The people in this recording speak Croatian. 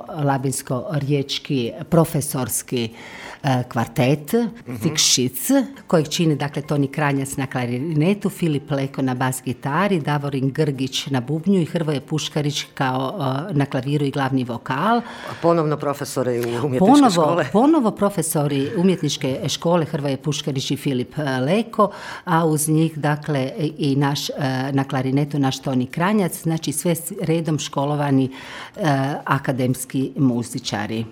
labinsko-riječki profesorski kvartet, Fikšic, kojeg čini dakle Toni Kranjac na klarinetu, Filip Leko na bas gitari, Davorin Grgić na bubnju i Hrvoje Puškarić kao na klaviru i glavni vokal. Ponovno profesori umjetničke škole. Ponovo profesori umjetničke škole Hrvoje Puškarić i Filip Leko, a uz njih dakle i naš na klarinetu naš Toni Kranjac, znači sve redom školovani akademski muzičari.